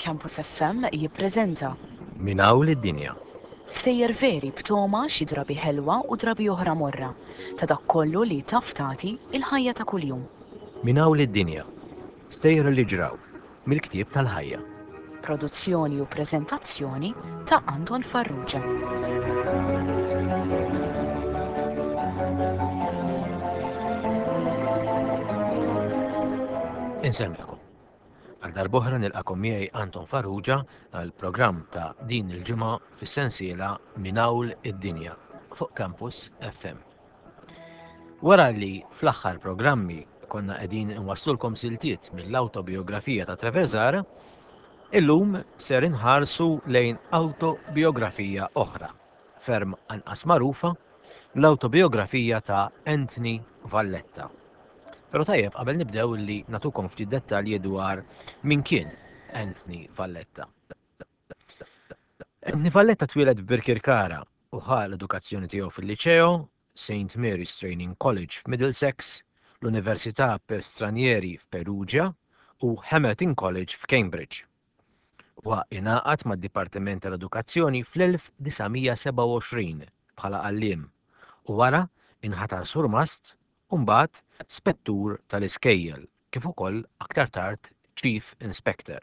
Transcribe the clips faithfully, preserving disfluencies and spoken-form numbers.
Campus F M jippreżenta Minn hawn lid-dinja. Sejjer veri b'toma xi drabi ħelwa u drabi oħra morra ta' dak kollu li taf tagħti il-ħajja ta' kuljum. Minn hawn lid-dinja. Stejjer li ġraw mill-ktieb tal-ħajja. Produzzjoni u preżentazzjoni ta' Anton Farrugia. Insellmilkom. Għal darb'oħra nilqakom miegħi Anton Farrugia għal programm ta' din il-ġimgħa fis-sensiela Minn Hawn id-Dinja fuq Campus F M. Wara li fl-aħħar programmi konna qegħdin inwasslulkom siltiet mill-awtobiografija ta' Trevor Zahra, illum ser inħarsu lejn awtobiografija oħra, ferm anqas magħrufa, l-awtobiografija ta' Anthony Valletta. Però tajjeb qabel nibdew li natukom ftit dettalji dwar min kien Anthony Valletta. Anthony Valletta twieled f'Birkirkara u ħa l-edukazzjoni tiegħu fil-Liċeo, Saint Mary's Training College f'Middlesex, l-Università per Stranieri f'Perugia u Hamerton College f'Cambridge. Huwa ingħaqad mad-Dipartiment tal-Edukazzjoni fl-elf disa' mija sebgħa u għoxrin bħala għalliem u wara inħatar surmast u mbagħad spettur tal-iskejjel kif ukoll aktar tard Chief Inspector.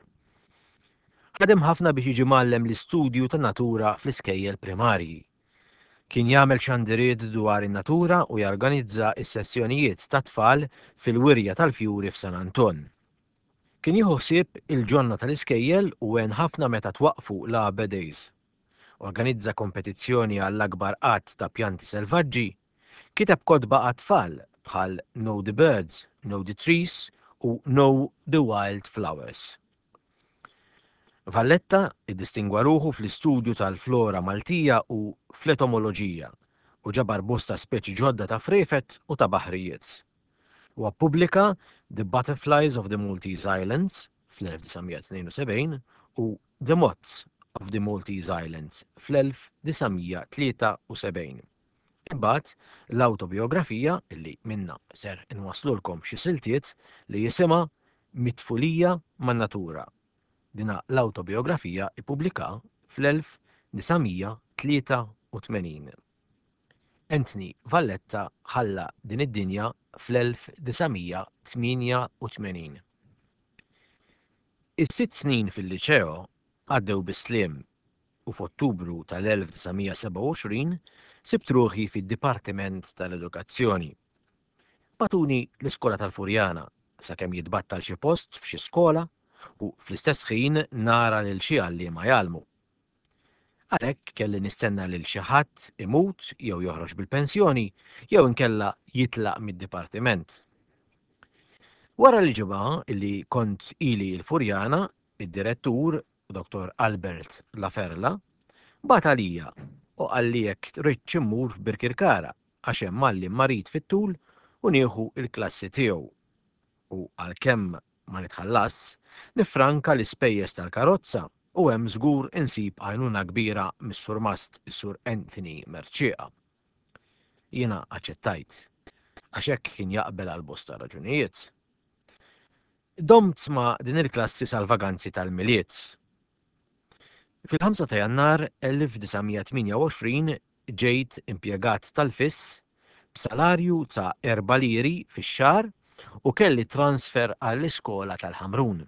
Ħadem ħafna biex jiġi mgħallem l-istudju tan-natura fl-iskejjel primarji. Kien jagħmel xandiriet dwar in-natura u jorganizza s-sessjonijiet tat-tfal fil-wirja tal-fjuri f'San Anton. Kien jieħu ħsieb il-ġonna tal-iskejjel u għen ħafna meta twaqfu l-Arbor Days. Organizza kompetizzjoni għall-akbar għadd ta' pjanti selvaġġi, kiteb kotba għat-tfal bħal Know the Birds, Know the Trees u Know the Wild Flowers. Valletta iddistingwa ruħu fl-istudju tal-flora Maltija u fl-etomoloġija u ġabar bosta speċi ġodda ta' frefet u ta' baħrijiet. Huwa ppubblika The Butterflies of the Maltese Islands fl-elf disa' mija tnejn u sebgħin u The Moths of the Maltese Islands fl-elf disa' mija tlieta u sebgħin. Imbagħad l-awtobiografija illi minna ser inwaslulkom xi siltiet li jisimha Mitfulija man-Natura. Dina l-awtobiografija ippubblika fl-elf disa' mija tlieta u tmenin. Anthony Valletta ħalla din id-dinja fl-elf disa' mija tmienja u tmenin. Is-sitt snin fil-liċeo għaddew bis-sliem u f'Ottubru tal-elf disa' mija sebgħa u għoxrin sibt ruħi fid-Dipartiment tal-Edukazzjoni. Batuni l-iskola tal-Furjana sakemm jitbattal xi post f'xi skola u fl-istess ħin nara lil xi għalliema jgħallmu. Għalhekk kelli nistenna lil xi ħadd imut jew joħroġ bil-pensjoni jew inkella jitlaq mid-dipartiment. Wara li ġimgħa li kont ili l-Furjana, id-direttur Doktor Albert Laferla bagħat għalija u qalli jekk rridx immur f'Birkirkara għax hemm għalliem marid fit-tul u nieħu l-klassi tiegħu. U għalkemm ma nitħallas, nifranka l-ispejjeż tal-karozza u hemm żgur insib għajnuna kbira mis-surmast is-Sur Anthony Mercieca. Jiena aċċettajt, għax hekk kien jaqbel għal bosta raġunijiet. Domt ma' din il-klassi sal-vaganzi tal-Milied. Fil-ħamsa ta' Jannar elf disa' mija tmienja u għoxrin ġejt impjegat tal-F I S b'salarju ta' erba' liri fix-xahar u kelli transfer għall-iskola tal-Ħamrun.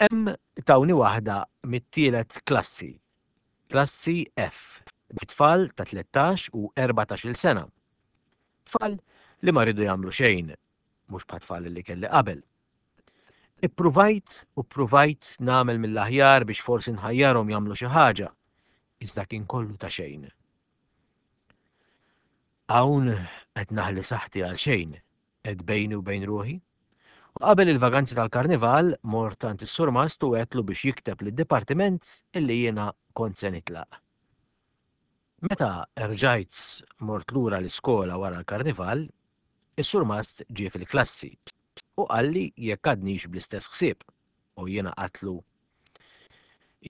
Hemm tawni waħda mit-tielet klassi, klassi F, bi tfal ta' tlettax u erbatax-il sena. Tfal li ma rridu jagħmlu xejn, mhux bħat tfal li kelli qabel. Ippruvajt u ppruvajt nagħmel mill-aħjar biex forsi nħajjarhom jagħmlu xi ħaġa, iżda kien kollu ta' xejn. Hawn qed naħli saħħti għal xejn, qed bejni u bejn ruħi. U qabel il-vaganzi tal-karnival mort għand is-surmast u għedtlu biex jikteb lid-dipartiment illi jiena kont se nitlaq. Meta rġajt mort lura l-iskola wara l-karnival, is-surmast ġie fil-klassi u qalli jekk għadnix bl-istess ħsieb u jiena qatlu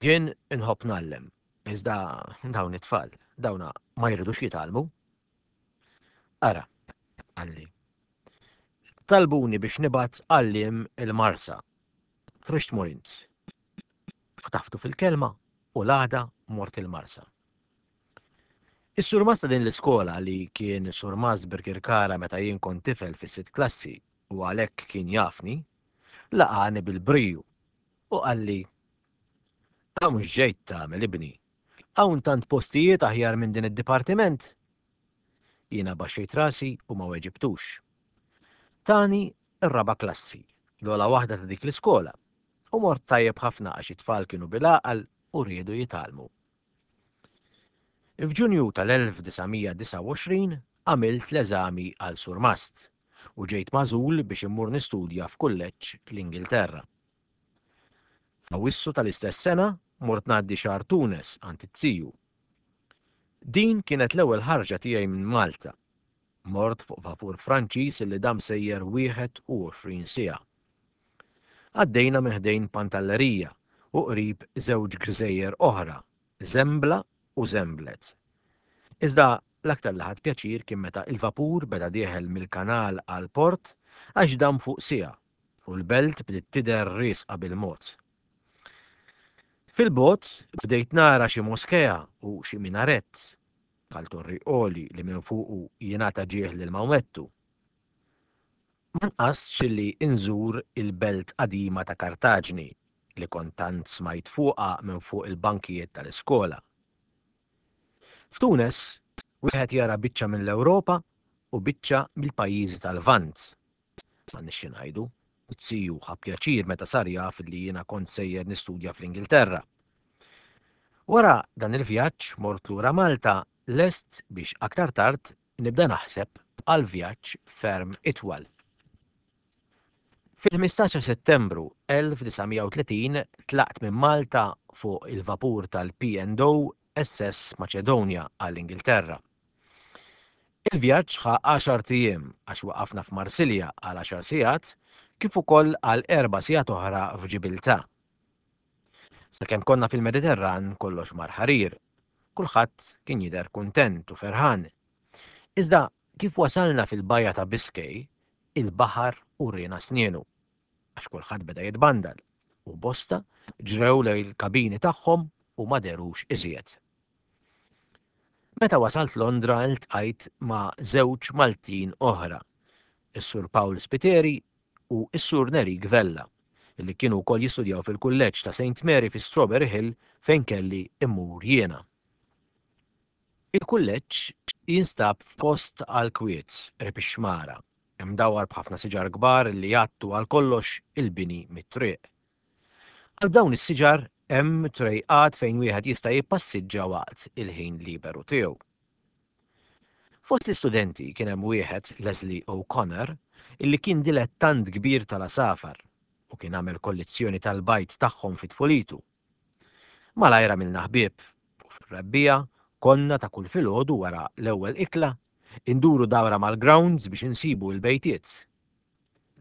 jien inħobb ngħallem, iżda dawn it-tfal, dawna ma jridux jitgħallmu. Ara, qalli, talbuni biex nibgħat għalliem il-Marsa. Trix tmur int. Ħtaftu fil-kelma u l-għada mort il-Marsa. Is-surmast ta' din l-iskola li kien surmast Birkirkara meta jien kont tifel fis-sitt klassi u għalhekk kien jafni, laqani bil-briju u qalli Hawn x'ġejt tagħmel ibni? Hawn tant postijiet aħjar minn din id-dipartiment? Jiena baxxejt rasi u ma weġibtux. Tani r-raba' klassi, l-ogħla waħda ta' dik l-iskola, u mort tajjeb ħafna għax it-tfal kienu bil-għaqal u riedu jitgħallmu. F'Ġunju tal-elf disa' mija disgħa u għoxrin għamilt l-eżami għal surmast u ġejt magħżul biex immur nistudja f'kulleġġ l-Ingilterra. F'Awwissu tal-istess sena mort ngħaddi xahar Tunes għand it-tiju. Din kienet l-ewwel ħarġa tiegħi minn Malta. Mort fuq vapur Franċiż li dam sejjer wieħed u għoxrin siegħa. Għaddejna minn ħdejn Pantallerija u qrib żewġ gżejjer oħra, Żembla u Żemblet. Iżda l-aktar li ħadt pjaċir kien meta il-vapur beda dieħel mill-kanal għall-port għax dam fuq siegħa u l-belt bdiet tidher riesqa bil-mod. Fil-bogħod bdejt nara xi moskea u xi minaret bħal torri għoli li minn fuqu jingħata ġieħ lil Mawmettu. Ma nqasx li nżur il-belt qadima ta' Kartaġni li kont tant smajt fuqha minn fuq il-bankijiet tal-iskola. F'Tunes wieħed jara biċċa mill-Ewropa u biċċa mill-pajjiżi tal-Lvant. M'għandniex xi ngħidu, it-tiju ħa pjaċir meta sar jaf li jiena kont sejjer nistudja fl-Ingilterra. Wara dan il-vjaġġ mort lura Malta lest biex aktar tard nibda naħseb għal vjaġġ ferm itwal. Fil-ħmistax ta' Settembru elf disa' mija u tletin tlaqt minn Malta fuq il-vapur tal-P and O S S Macedonia għall-Ingilterra. Il-vjaġġ ħa għaxart ijiem għax waqafna f'Marsilja għal għaxar sigħat kif ukoll għal erba' sigħat oħra f'Ġibiltà. Sakemm konna fil-Mediterran kollox mar ħarir, kulħadd kien jidher kuntent u ferħan. Iżda kif wasalna fil-bajja ta' Biscay, il-baħar uriena snienu, għax kulħadd beda jitbandal u bosta ġrew lejn il-kabini tagħhom u ma derux iżjed. Meta wasalt Londra iltqajt ma' żewġ Maltin oħra, is-Sur Paul Spiteri u s-Sur Nerik Vella, li kienu wkoll jistudjaw fil-kulleġġ ta' Saint Mary fi Strawberry Hill fejn kelli immur jiena. Il-kulleġġ jinstab f'post għal kwiet qrib ix-xmara, imdawwar b'ħafna siġar kbar li jgħattu għal kollox il-bini mit-triq. Għal dawn is-siġar hemm trejqat fejn wieħed jista' jippassiġġa waqt il-ħin liberu tiegħu. Fost l-istudenti kien hemm wieħed, Leslie O'Connor, illi kien dilettant kbir tal-għasafar u kien għamel kollezzjoni tal-bajd tagħhom fi tfulitu. Malajr għamilna ħbieb u fir-rebbiegħa konna ta' kull filgħodu wara l-ewwel ikla induru dawra mal-grounds biex insibu l-bejtiet.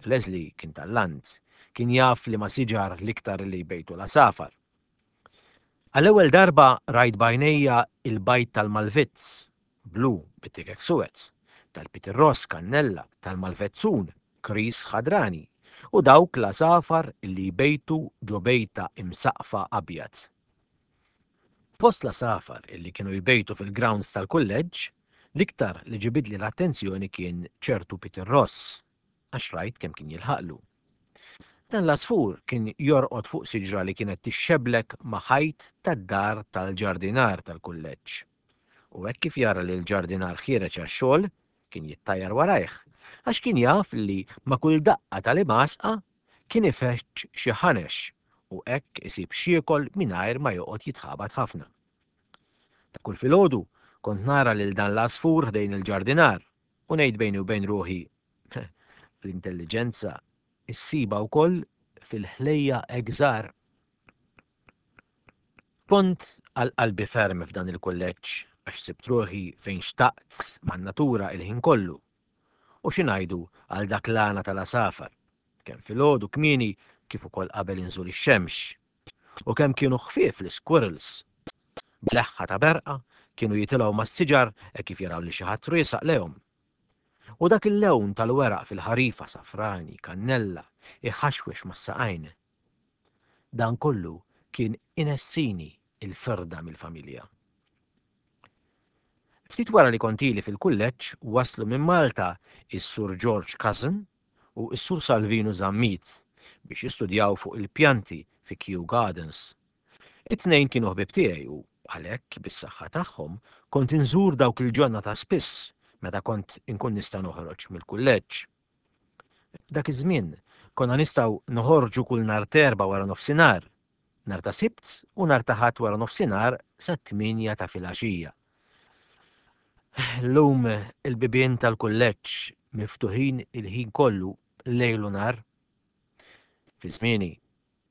Leslie kien tal-land, kien jaf li ma siġar l-iktar li jbejtu l-għasafar. Għall-ewwel darba rajt b'għajnejja il-bajt tal-Malvizz, blu bit-tikek suwed, tal-Pitirross kannella, tal-Malvezzun, kris ħadrani, u dawk l-għasafar li jbejtu ġo bejta imsaqfa abjad. Fost l-għasafar illi kienu jbejtu fil-grounds tal-kulleġġ, l-iktar li ġibidli l-attenzjoni kien ċertu Pitirross, għax rajt kemm kien jilħaqlu. Dan l-għasfur kien jorqod fuq siġra li kienet tixxeblek ma' ħajt tad-dar tal-ġardinar tal-kulleġġ. U hekk kif jara li l-ġardinar ħiereġ għax-xogħol, kien jittajjar warajh, għax kien jaf li ma' kull daqqa tal-imgħasqa kien ifeċċ xi ħanex u hekk isib xiekol mingħajr ma joqgħod jitħabat ħafna. Ta' kull filgħodu kont nara lil dan l-għasfur ħdejn il-ġardinar u ngħid bejni u bejn ruħi, l-intelliġenza issiba wkoll fil-ħlejja egżar. Kont għal qalbi ferm f'dan il-kulleġġ għax sibt ruħi fejn xtaqt man-natura il-ħin kollu. U xi ngħidu għal dak l-għana tal-għasafar, kemm filgħodu kmieni kif ukoll qabel inżul ix-xemx. U kemm kienu ħfief l-squirrels. B'leħħa ta' berqa kienu jitilgħu mas-siġar hekk kif jaraw li xi ħadd riesaq lejhom. U dak il-lewn tal-weraq fil-ħarifa safrani, kannella, iħaxwex mas-saqajn. Dan kollu kien inessini il-firda mill-familja. Ftit wara li kont ili fil-kulleġġ waslu minn Malta is-Sur George Cousin u s-Sur Salvinu Zammit biex jistudjaw fuq il-pjanti fi Kew Gardens. It-tnejn kienu ħbieb tiegħi u għalhekk bis-saħħa tagħhom kont inżur dawk il-ġonna ta' spiss meta kont inkun nista' noħroġ mill-kulleġġ. Dak iż-żmien konna nistgħu noħorġu kull nhar t'Erbgħa wara nofsinhar, nhar ta' Sibt u nhar ta' Ħadd wara nofsinhar sat-tmienja ta' filgħaxija. Llum il-bibien tal-kulleġġ miftuħin il-ħin kollu lejl u nhar. Fi żmieni,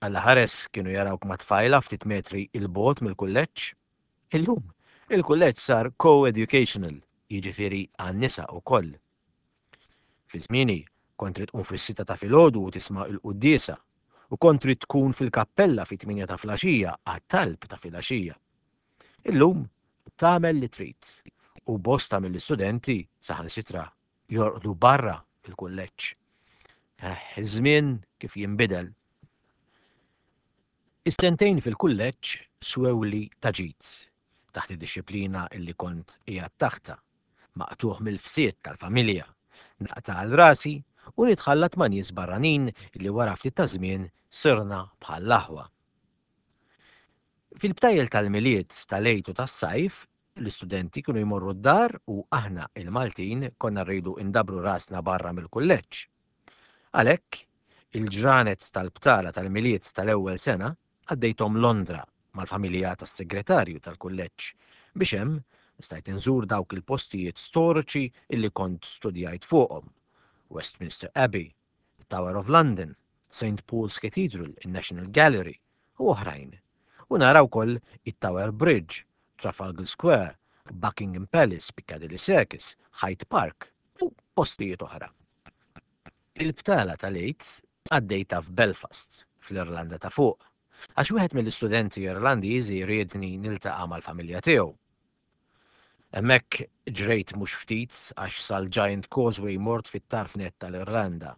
Alla ħares kienu jarawk ma' tfajla ftit metri 'l bogħod mill-kulleġġ. Illum, il-kulleġġ sar co-educational, jiġifieri għan-nisa wkoll. Fi żmieni, kont trid tqum fis-sitta ta' filgħodu u tisma' l-quddiesa, u kont trid tkun fil-kappella fit-tmienja ta' flaxija għat-talb ta' filgħaxija. Illum tagħmel li trid u bosta mill-istudenti saħansitra jorqdu barra il-kulleġġ. Eh, iż-żmien kif jinbidel. Is-sentejn fil-kulleġġ swewli ta' ġid taħt id-dixxiplina illi kont qiegħed taħtha, maqtugħ mill-fsied tal-familja, naqta' għal rasi u nitħallat ma' nies barranin li wara ftit ta' żmien sirna bħall-aħwa. Fil-btajjel tal-Milied, tal-Għid u tas-sajf, l-istudenti kienu jmorru d-dar u aħna il-Maltin konna rridu indabbru rasna barra mill-kulleġġ. Għalhekk, il-ġranet tal-btala tal-Milied tal-ewwel sena għaddejthom Londra mal-familja tas-segretarju tal-kulleġġ biex hemm stajt inżur dawk il-postijiet storiċi illi kont studjajt fuqhom: Westminster Abbey, the Tower of London, Saint Paul's Cathedral, il-National Gallery u oħrajn. U nara wkoll it-Tower Bridge, Trafalgar Square, Buckingham Palace, Piccadilly Circus, Hyde Park u postijiet oħra. Il-btala tal-Għid għaddejta f'Belfast, fl-Irlanda ta' fuq, għax wieħed mill-istudenti Irlandiżi riedni niltaqa' mal-familja tiegħu. Hemmhekk ġrejt mhux ftit għax sal-Giant Causeway mort fit-tarf net tal-Irlanda.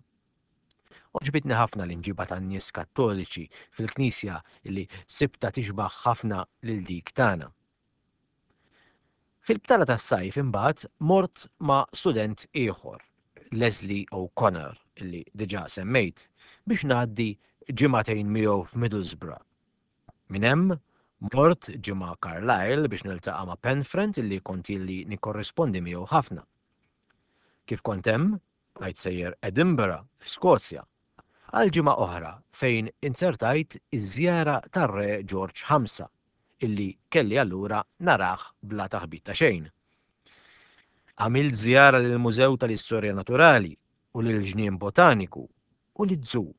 Għoġbitni ħafna l-imġiba tan-nies kattoliċi fil-knisja li sibta tixbaħ ħafna lil dik tagħna. Fil-btala tas-sajf imbagħad mort ma' student ieħor, Leslie O'Connor, li diġà semmejt, biex ngħaddi ġimagħtejn miegħu f'Middlesbrough. Minn hemm mort ġimgħa Carlisle biex niltaqa' ma' pen friend illi kont ili nikkorrispondi miegħu ħafna. Kif kont hemm, bqajt sejjer Edinburgh, Skozja, għal ġimgħa oħra fejn inzertajt iż-żjara tar-Re George ħamsa illi kelli allura narah bla taħbit ta' xejn. Għamilt żjara lill-Mużew tal-Istorja Naturali u lill-Ġnien Botaniku u liż-zoo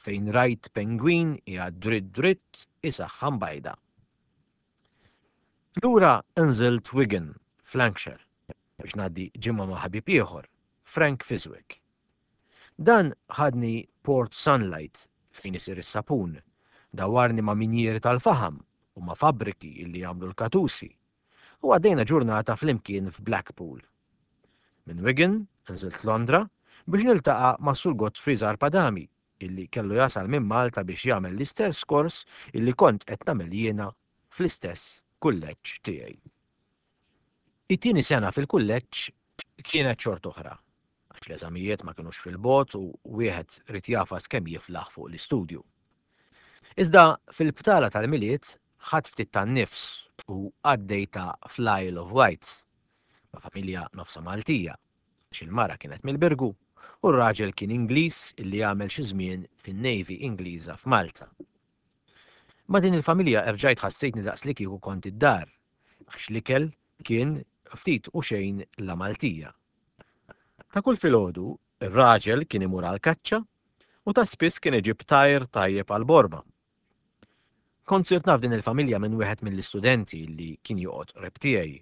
fejn rajt pengwin qiegħed dritt dritt isaħħan bajda. Lura nżilt Wigan, f'Lancashire, biex ngħaddi ġimgħa ma' ħabib ieħor, Frank Fiswick. Dan ħadni Port Sunlight fejn isir is-sapun, dawarni ma' minjieri tal-faħam u ma' fabbriki illi jagħmlu l-katusi, u għaddejna ġurnata flimkien f'Blackpool. Minn Wigan nżilt Londra biex niltaqa' ma' Sur Godfrey Zarpadami illi kellu jasal minn Malta biex jagħmel l-istess kors illi kont qed nagħmel jiena fl-istess kulleġġ tiegħi. It-tieni sena fil-kulleġġ kienet xort oħra, għax l-eżamijiet ma kinux fil-bogħod u wieħed ried jagħfas kemm jiflaħ fuq l-istudju. Iżda fil-btala tal-Milied ħadt ftit tan-nifs u għaddejta fl-Isle of Wight ma' familja nofsa Maltija, għax il-mara kienet mill-Birgu u r-raġel kien Ingliż illi għamel xi żmien fin-Navy Ingliża f'Malta. Ma' din il-familja erġajt ħassejtni daqs li kieku kont id-dar, għax l-ikel kien ftit u xejn la Maltija. Ta' kull filgħodu, ir-raġel kien imur għall-kaċċa u ta' spiss kien iġib tajr tajjeb għall-borma. Kont sirt naf din il-familja minn wieħed mill-istudenti li kien joqgħod qrib tiegħi.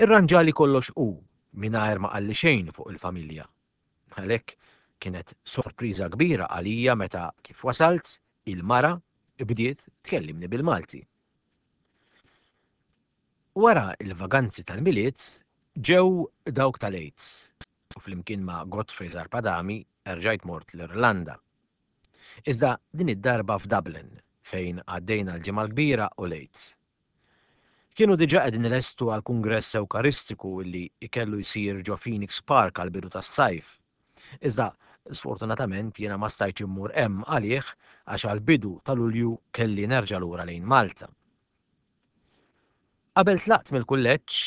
Irranġali kollox hu mingħajr ma qalli xejn fuq il-familja. Għalhekk kienet sorpriża kbira għalija meta kif wasalt il-mara bdiet tkellimni bil-Malti. Wara il-vaganzi tal-Milied ġew dawk tal-Għid u flimkien ma' Godfrey Zarpadami erġajt mort l-Irlanda. Iżda din id-darba f'Dublin fejn għaddejna l-Ġimgħa l-Kbira u l-Għid. Kienu diġà qegħdin ilestu għall-Kungress Ewkaristiku li kellu jsir ġo Phoenix Park għall-bidu tas-sajf. Iżda sfortunatament jiena ma stajtx immur hemm għalih għax għall-bidu ta' Lulju kelli nerġa' lura lejn Malta. Qabel tlaqt mill-kulleġġ,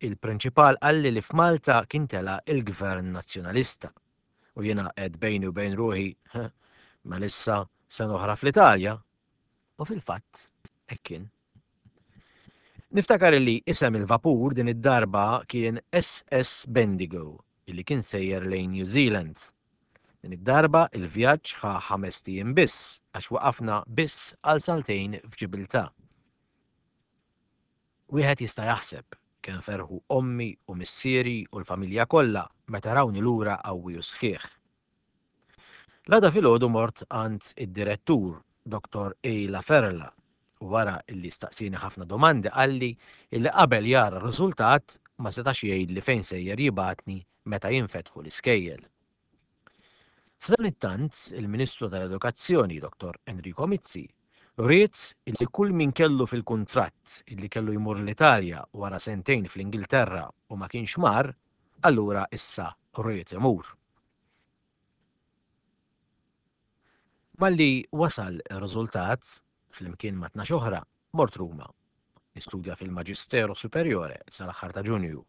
il-prinċipal qalli li f'Malta kien tela' il-Gvern Nazzjonalista. U jiena għedt bejni u bejn ruħi, mela issa sena oħra fl-Italja. U fil-fatt, hekk kien. Niftakar li isem il-vapur din id-darba kien S S Bendigo, illi kien sejjer lejn New Zealand. Din id-darba il-vjaġġ ħa ħamest ijiem biss, għax waqafna biss għal saltejn f'Ġibiltà. Wieħed jista' jaħseb kemm ferħu ommi u missieri u l-familja kollha meta rawni lura qawwi u sħiħ. L-għada filgħodu mort għand id-direttur, Doktor A. Laferla, u wara illi staqsini ħafna domandi qalli illi qabel jara r-riżultat ma setax jgħidli fejn sejjer jibgħatni meta jinfetħu l-iskejjel. Sadanittant, il-Ministru tal-Edukazzjoni, Doktor Enrico Mizzi, ried illi kull min kellu fil-kuntratt illi kellu jmur l-Italja wara sentejn fl-Ingilterra u ma kienx mar, allura issa ried imur. Malli wasal ir-riżultat, flimkien ma' tnax oħra, mort Ruma. Nistudja fil-Maġisteru Superiore sal-aħħar ta' Ġunju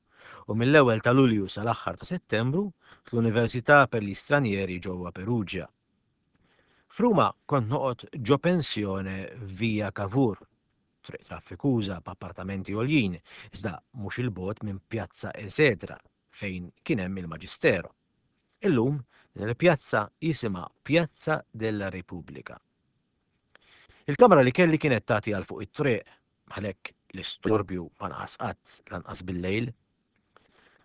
u mill-ewwel ta' Lulju sal-aħħar ta' Settembru fl-Università per gli Stranieri ġewwa Perugia. F'Ruma kont noqgħod ġo pensjone Via Cavour, triq traffikuża b'appartamenti għoljin, iżda mhux il-bogħod minn Piazza Esedra fejn kien hemm il-Maġistero. Illum din il-pjazza jisimha Piazza della Repubblica. Il-kamra li kelli kienet tagħti għal fuq it-triq, għalhekk l-istorbju ma naqas qatt lanqas bil-lejl.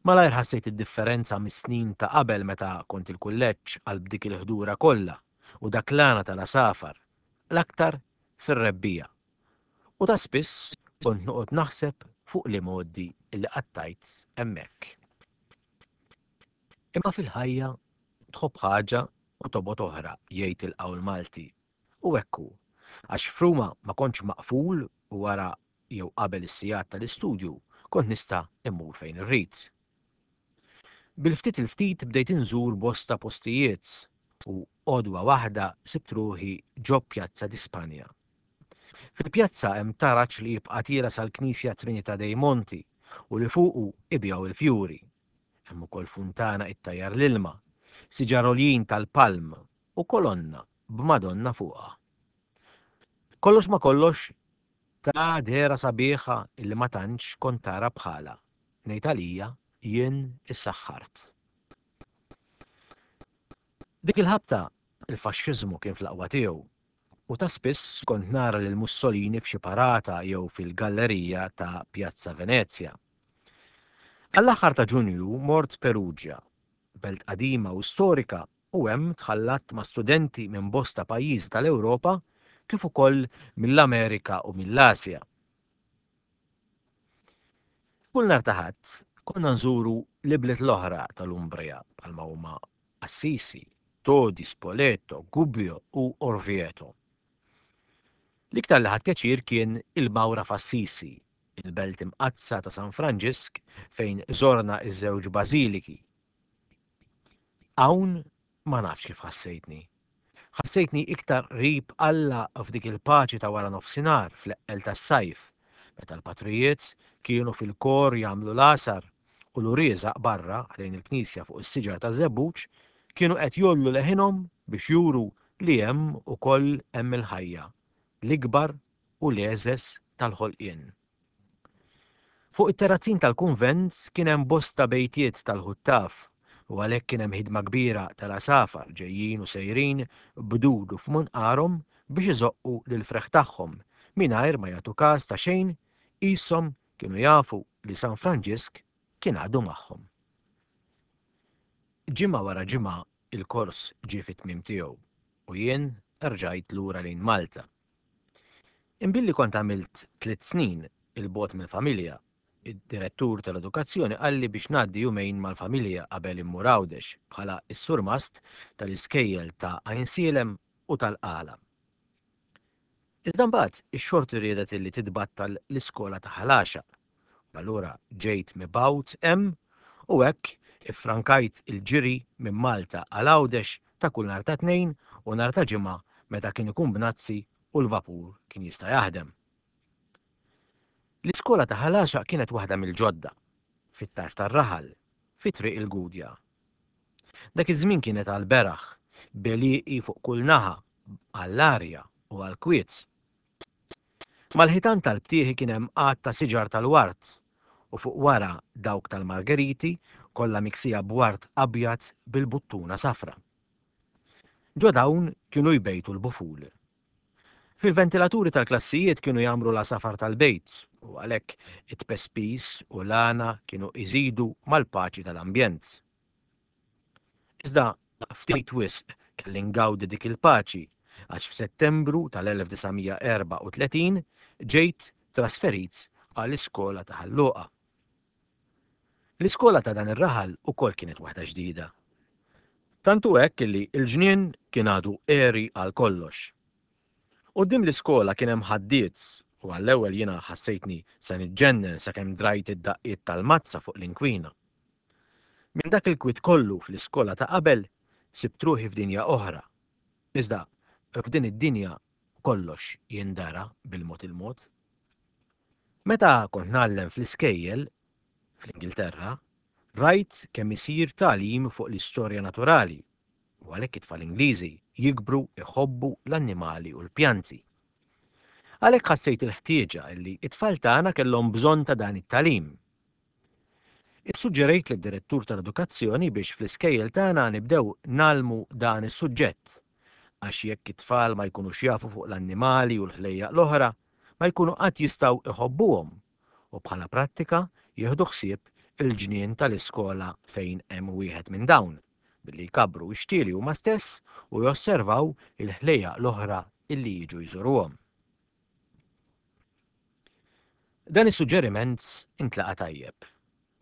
Malajr ħassejt id-differenza mis-snin ta' qabel meta kont il-kulleġġ għal b'dik il-ħdura kollha u dak l-għana tal-għasafar, l-aktar fir-rebbija. U ta' spiss kont noqgħod naħseb fuq li modi li qattajt hemmhekk. Imma fil-ħajja tħobb ħaġa u tobgħod oħra, jgħid il-qawl Malti. U hekk hu, għax f'Ruma ma kontx maqful u wara jew qabel is-sigħat tal-istudju kont nista' immur fejn irrid. Bil-ftit il-ftit bdejt inżur bosta postijiet u għodwa waħda sibt ruħi ġo Pjazza di Spanja. Fil-pjazza hemm taraġ li jibqa' tiela sal-Knisja Trinità dei Monti u li fuqu ibjaw il-fjuri. Hemm ukoll funtana ittajjar l-ilma, siġar għoljin tal-palm u kolonna b'Madonna fuqha. Kollox ma kollox ta' dehra sabiħa illi ma tantx kont tara bħala. Ngħid għalija jien issaħħart. Dik il-ħabta il-faxxiżmu kien fl-aqwa tiegħu u ta' spiss kont nara lil Mussolini f'xi parata jew fil-gallerija ta' Piazza Venezia. Għall-aħħar ta' Ġunju mort Perugia, belt qadima u storika, u hemm tħallatt ma' studenti minn bosta pajjiżi tal-Ewropa kif ukoll mill-Amerika u mill-Asja. Kull nhar ta' Ħadd konna nżuru l-ibliet l-oħra tal-Umbria bħalma huma Assisi, Todi, Spoleto, Gubbio u Orvieto. L-iktar li ħadt pjaċir kien il-Mawra f'Assisi, il-belt imqaddsa ta' San Franġisk fejn żorna iż-żewġ bażiliki. Hawn ma nafx kif ħassejtni. Ħassejtni iktar qrib Alla f'dik il-paċi ta' wara nofsinhar fl-eqqel tas-sajf, meta l-patrijiet kienu fil-kor jagħmlu l-għasar u l-urieżaq barra ħdejn il-knisja fuq is-siġar taż-żebbuġ kienu qed jollu leħinhom biex juru li hemm ukoll hemm il-ħajja, l-ikbar u l-għeżeż tal-ħolqien. Fuq it-terrazzin tal-kunvent kien hemm bosta bejtiet tal-ħuttaf u għalhekk kien hemm ħidma kbira tal-għasafar ġejjin u sejrin b'dudu f'munqarhom biex iżoqqu lill-freħ tagħhom mingħajr ma jagħtu każ ta' xejn, qishom kienu jafu li San Franġisk kien għadu magħhom. Ġimgħa wara ġimgħa il-kors ġie fit-tmiem tiegħu u jien rġajt lura lejn Malta. Imbilli kont għamilt tliet snin il-bogħod mill-familja, id-direttur tal-edukazzjoni qalli biex ngħaddi jumejn mal-familja qabel immur Għawdex bħala s-surmast tal-iskejjel ta' Għajnsielem u tal-Qala. Iżda mbagħad ix-xorti riedet illi titbattal l-iskola ta' Ħal Għaxaq. Allura ġejt mibgħut hemm u hekk iffrankajt il-ġiri minn Malta għal Għawdex ta' kull nhar ta' Tnejn u nhar ta' Ġimgħa meta kien ikun bnazzi u l-vapur kien jista' jaħdem. L-iskola ta' Ħal Għaxaq kienet waħda mill-ġodda, fit-tarf tar-raħal, fi Triq il-Gudja. Dak iż-żmien kienet għall-beraħ, b'għelieqi fuq kull naħa, għall-arja u għall-kwiet. Mal-ħitan tal-btieħi kien hemm għadd ta' siġar tal-ward u fuq wara dawk tal-margeriti kollha miksija b'ward abjad bil-buttuna safra. Ġo dawn kienu jbejtu l-buful. Fil-ventilaturi tal-klassijiet kienu jagħmru l-għasafar tal-bejt u għalhekk it-tpespis u l-għana kienu iżidu mal-paċi tal-ambjent. Iżda ftit wisq kelli ngawdi dik il-paċi għax f'Settembru tal-elf disa' mija erbgħa u tletin ġejt trasferit għall-iskola ta' Ħal Luqa. L-iskola ta' dan ir-raħal ukoll kienet waħda ġdida. Tant hu hekk li l-ġnien kien għadu għeri għal kollox. Quddiem l-iskola kien hemm ħaddied u għall-ewwel jiena ħassejtni se niġġennen sakemm drajt id-daqqiet tal-mazza fuq l-inkwina. Minn dak il-kwiet kollu fl-iskola ta' qabel sibt ruħi f'dinja oħra. Iżda f'din id-dinja kollox jindara bil-mod il-mod. Meta kont ngħallem fl-iskejjel fl-Ingilterra, rajt kemm isir tagħlim fuq l-istorja naturali u għalhekk it-tfal Ingliżi jikbru iħobbu l-annimali u l-pjanti. Għalhekk ħassejt il-ħtieġa li t-tfal tagħna kellhom bżonn ta' dan it-tagħlim. Issuġġerejt lid-direttur tal-edukazzjoni biex fl-iskejjel tagħna nibdew ngħallmu dan is-suġġett, għax jekk it-tfal ma jkunux jafu fuq l-annimali u l-ħlejjaq l-oħra, ma jkunu qatt jistgħu iħobbuhom u bħala prattika jieħdu ħsieb il-ġnien tal-iskola fejn hemm wieħed minn dawn, billi jkabbru x-xtieli huma stess u josservaw il-ħlejjaq l-oħra illi jiġu jżuruhom. Dan is-suġġeriment intlaqa' tajjeb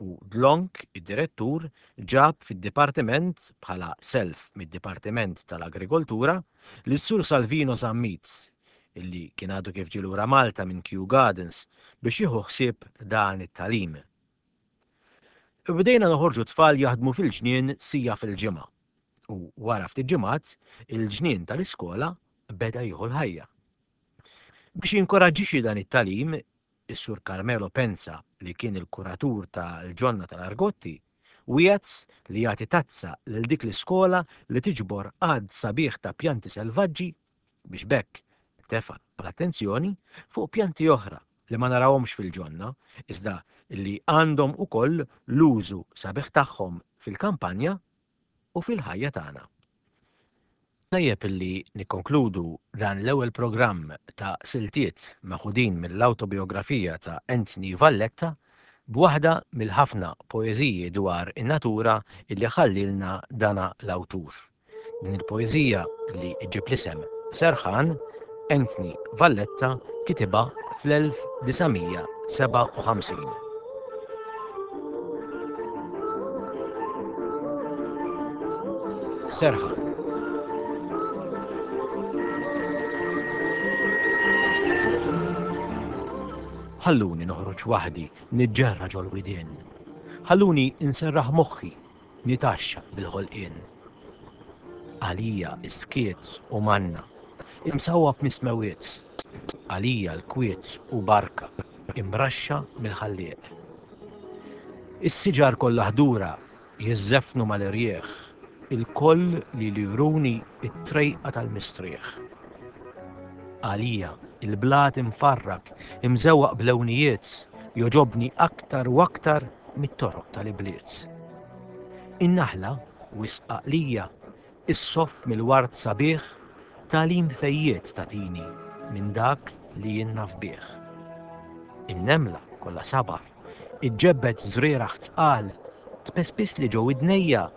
u dlonk id-direttur ġab fid-dipartiment bħala self mid-Dipartiment tal-Agrikoltura lis-Sur Salvino Zammit illi kien għadu kif ġie lura Malta minn Kew Gardens biex jieħu ħsieb dan it-tagħlim. Bdejna noħorġu tfal jaħdmu fil-ġnien sija fil-ġimgħa u wara ftit ġimgħat il-ġnien tal-iskola beda jieħu l-ħajja. Biex jinkoraġġixxi dan it-tagħlim, is-Sur Carmelo Penza, li kien il-kuratur tal-ġonna tal-Argotti, wiegħed li jagħti tazza lil dik l-iskola li tiġbor għadd sabiħ ta' pjanti selvaġġi biex b'hekk tefa' l-attenzjoni fuq pjanti oħra li ma narawhomx fil-ġonna, iżda li għandhom ukoll l-użu sabiħ tagħhom fil-kampanja u fil-ħajja tagħna. Tajjeb illi nikkonkludu dan l-ewwel programm ta' siltiet meħudin mill-awtobiografija ta' Anthony Valletta b'waħda mill-ħafna poeżiji dwar in-natura illi ħallilna dana l-awtur. Din il-poeżija li ġġib l-isem Serħan, Anthony Valletta kitibha fl-elf disa' mija sebgħa u ħamsin. Serħan. Ħalluni noħroġ waħdi niġġerra ġol-widien. Ħalluni nserraħ moħħi nitaxxa bil-ħolqien. Għalija s-skiet u manna, imsawwab mis-smewiet. Għalija l-kwiet u barka, imraxxa mill-Ħallieq. Is-siġar kollha ħdura jiżżeffnu mal-irjieħ, il-koll li juruni t-trejqa tal-mistrieħ. Għalija il-blat imfarrak, imżewwaq b'lewnijiet, joġobni aktar u aktar mit-toroq tal-ibliet. In-naħla, wisq għaqlija, issoff mill-ward sabiħ, tagħlim fejjiet tagħtini minn dak li jien naf bih. In-nemla kollha sabar, iġġebbed żrieragħ tqal, tpespis li ġo widnejja,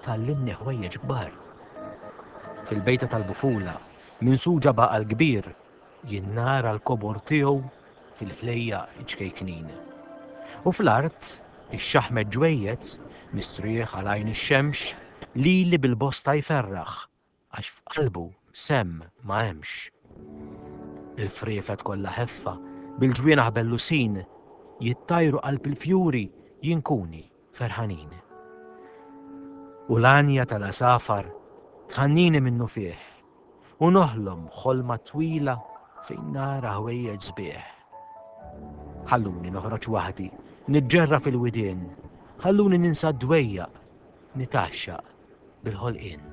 tgħallimni ħwejjeġ kbar. Fil-bejta tal-bufula, minsuġa b'għaqal kbir, jien nara l-kobor tiegħu fil-ħlejjaq iċ-ċkejknin. U fl-art, ix-xaħmet ġwejjed, mistrieħ għal għajn ix-xemx, lili bil-bosta jferraħ, għax f'qalbu semm ma hemmx. Il-friefet kollha ħeffa, bil-ġwienaħ bellusin, jittajru qalb il-fjuri jinkuni ferħanin. U l-għanja tal-għasafar tħannini minnufih, u noħlom ħolma twila fejn nara ħwejjeġ sbieħ. Ħalluni noħroġ waħdi, niġġerra fil-widien, ħalluni ninsa d-dwejjaq, nitgħaxxaq bil-ħolqien.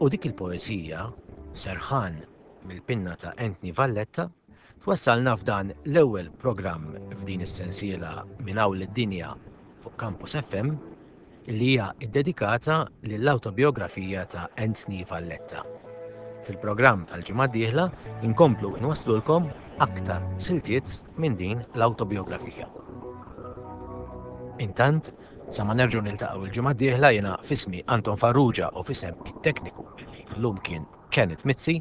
U dik il-poeżija, Serħan, mill-pinna ta' Anthony Valletta, twassalna f'dan l-ewwel programm f'din is-sensiela Minn Hawn lid-Dinja fuq Campus F M li hija ddedikata lill-awtobiografija ta' Anthony Valletta. Fil-programm tal-ġimgħa d-dieħla inkomplu nwasslulkom aktar siltiet minn din l-awtobiografija. Intant, sa ma nerġgħu niltaqgħu il-ġimgħa d-dieħla, jiena f'ismi Anton Farrugia u f'isem it-tekniku li llum kien Kenneth Mizzi,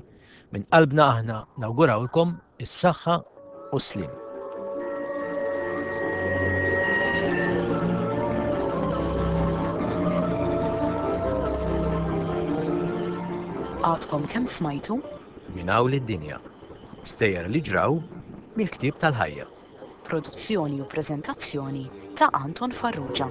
minn qalbna aħna nawgurawlkom is-saħħa u s-sliem. Għadkom kemm smajtu? Minn hawn lid-dinja. Stejjer li ġraw mill-ktieb tal-ħajja. Produzzjoni u preżentazzjoni ta' Anton Farrugia.